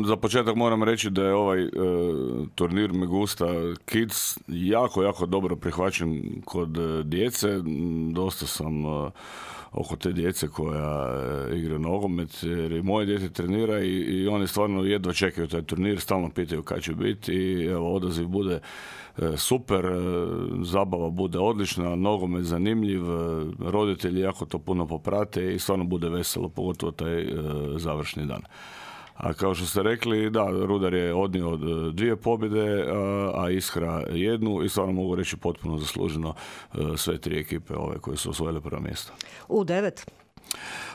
za početak moram reći da je ovaj turnir Megusta Kids jako dobro prihvaćen kod djece. Dosta sam oko te djece koja igra nogomet, jer i moje dijete trenira i oni stvarno jedva čekaju taj turnir, stalno pitaju kad će biti i evo, odaziv bude super, zabava bude odlična, nogomet zanimljiv, roditelji jako to puno poprate i stvarno bude veselo, pogotovo taj završni dan. A kao što ste rekli, da, Rudar je odnio 2 pobjede, a Iskra 1 i stvarno mogu reći potpuno zasluženo sve 3 ekipe ove koje su osvojile prvo mjesto. U9?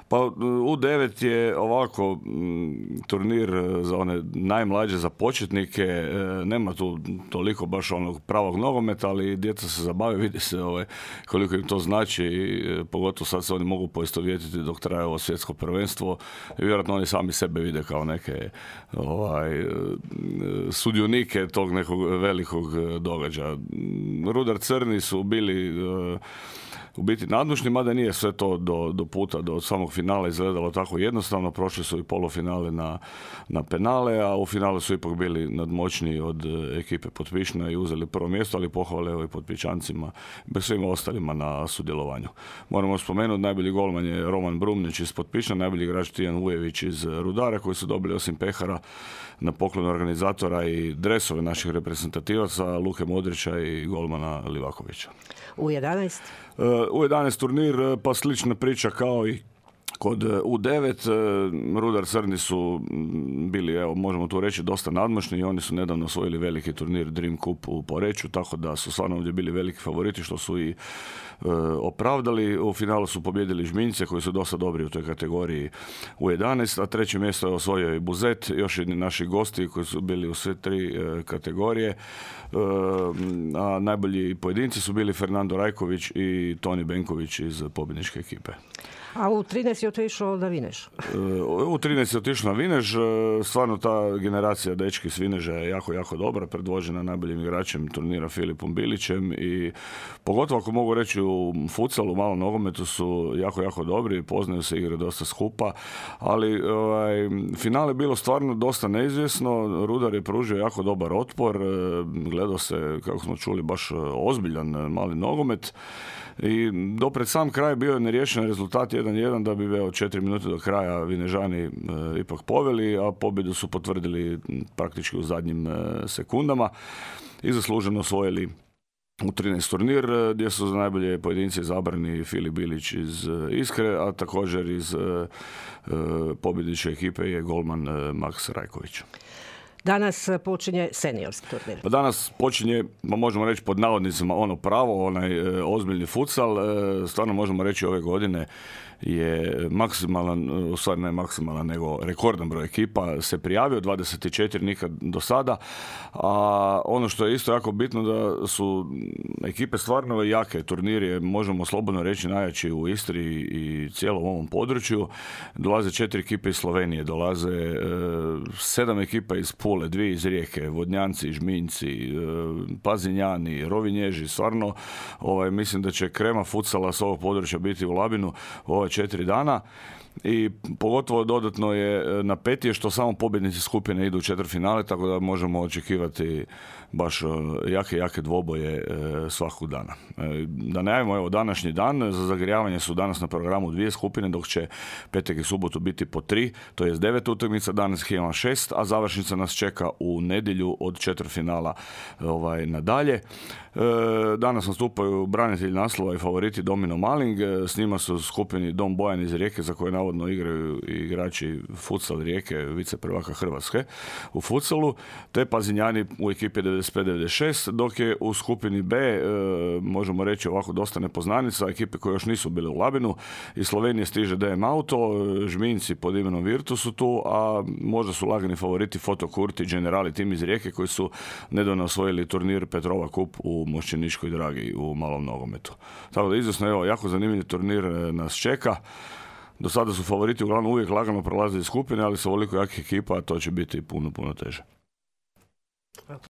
Pa U9 je ovako turnir za one najmlađe, za početnike, nema tu toliko baš onog pravog nogometa, ali djeca se zabave, vidi se koliko im to znači i pogotovo sad se oni mogu poistovjetiti dok traje ovo svjetsko prvenstvo i vjerojatno oni sami sebe vide kao neke sudionike tog nekog velikog događaja. Rudar Crni su bili u biti nadmoćni, mada nije sve to do puta, do samog finala izgledalo tako jednostavno. Prošli su i polufinale na penale, a u finalu su ipak bili nadmoćniji od ekipe Potpišna i uzeli prvo mjesto, ali pohvale i Potpičancima, bez svima ostalima na sudjelovanju. Moramo spomenuti, najbolji golman je Roman Brumnić iz Potpišna, najbolji igrač Tijan Vujević iz Rudara, koji su dobili osim pehara na poklon organizatora i dresove naših reprezentativaca, Luke Modrića i golmana Livakovića. U11? U11 turnir, pa slična priča kao i kod U9. Rudar Crni su bili, evo, možemo tu reći, dosta nadmoćni i oni su nedavno osvojili veliki turnir Dream Cup u Poreču, tako da su stvarno ovdje bili veliki favoriti, što su i opravdali. U finalu su pobjedili Žminjce, koji su dosta dobri u toj kategoriji U11, a 3. mjesto je osvojio i Buzet, još jedni naši gosti koji su bili u sve 3 kategorije. A najbolji pojedinci su bili Fernando Rajković i Toni Benković iz pobjedničke ekipe. A u 13 je otišao na Vinež? U 13 je otišao na Vinež. Stvarno ta generacija dečki s Vineža je jako dobra, predvođena najboljim igračem turnira Filipom Bilićem i pogotovo ako mogu reći u futsalu, malom nogometu su jako dobri, poznaju se, igre dosta skupa, ali finale je bilo stvarno dosta neizvjesno. Rudar je pružio jako dobar otpor, gledao se, kako smo čuli, baš ozbiljan mali nogomet. I do pred sam kraj bio je neriješen rezultat 1-1, da bi 4 minute do kraja Vinežani ipak poveli, a pobjedu su potvrdili praktički u zadnjim sekundama i zasluženo osvojili u 13 turnir, gdje su za najbolje pojedinci izabrani Filip Bilić iz Iskre, a također iz pobjedničke ekipe je golman Maks Rajković. Danas počinje seniorski turnir. Pa danas počinje, možemo reći pod navodnicima, ono pravo, onaj ozbiljni futsal. Stvarno možemo reći ove godine je maksimalan, u stvari ne maksimalan, nego rekordan broj ekipa se prijavio, 24 nikad do sada. A ono što je isto jako bitno da su ekipe stvarno jake. Turnir je, možemo slobodno reći, najjači u Istri i cijelom ovom području. Dolaze 4 ekipe iz Slovenije, dolaze 7 ekipa iz Pule, 2 iz Rijeke, Vodnjanci, Žminjci, Pazinjani, Rovinježi. Stvarno, mislim da će krema futsala s ovog područja biti u Labinu ove 4 dana. I pogotovo dodatno je napetije što samo pobjednici skupine idu u četvrtfinale, tako da možemo očekivati baš jake dvoboje svakog dana. Da najavimo, evo, današnji dan, za zagrijavanje su danas na programu 2 skupine, dok će petak i subotu biti po 3, to je 9 utakmica, danas ima 6, a završnica nas čeka u nedjelju od četvrtfinala nadalje. Danas nastupaju branitelji naslova i favoriti Domino Maling, s njima su u skupini Dom Bojan iz Rijeke, za koje navodno igraju igrači futsal Rijeke, vice prvaka Hrvatske u futsalu, te Pazinjani u ekipi 95-96, dok je u skupini B, možemo reći ovako, dosta nepoznanica, ekipe koje još nisu bile u Labinu. Iz Slovenije stiže DM Auto, Žminjci pod imenom Virtus su tu, a možda su lagani favoriti Foto Kurti, Generali tim iz Rijeke, koji su nedavno osvojili turnir Petrova Kup u Mošćeničkoj Dragi u malom nogometu. Tako da izvjesno, evo, jako zanimljiv turnir nas čeka. Do sada su favoriti uglavnom uvijek lagano prolazili skupine, ali sa ovoliko jakih ekipa to će biti puno teže.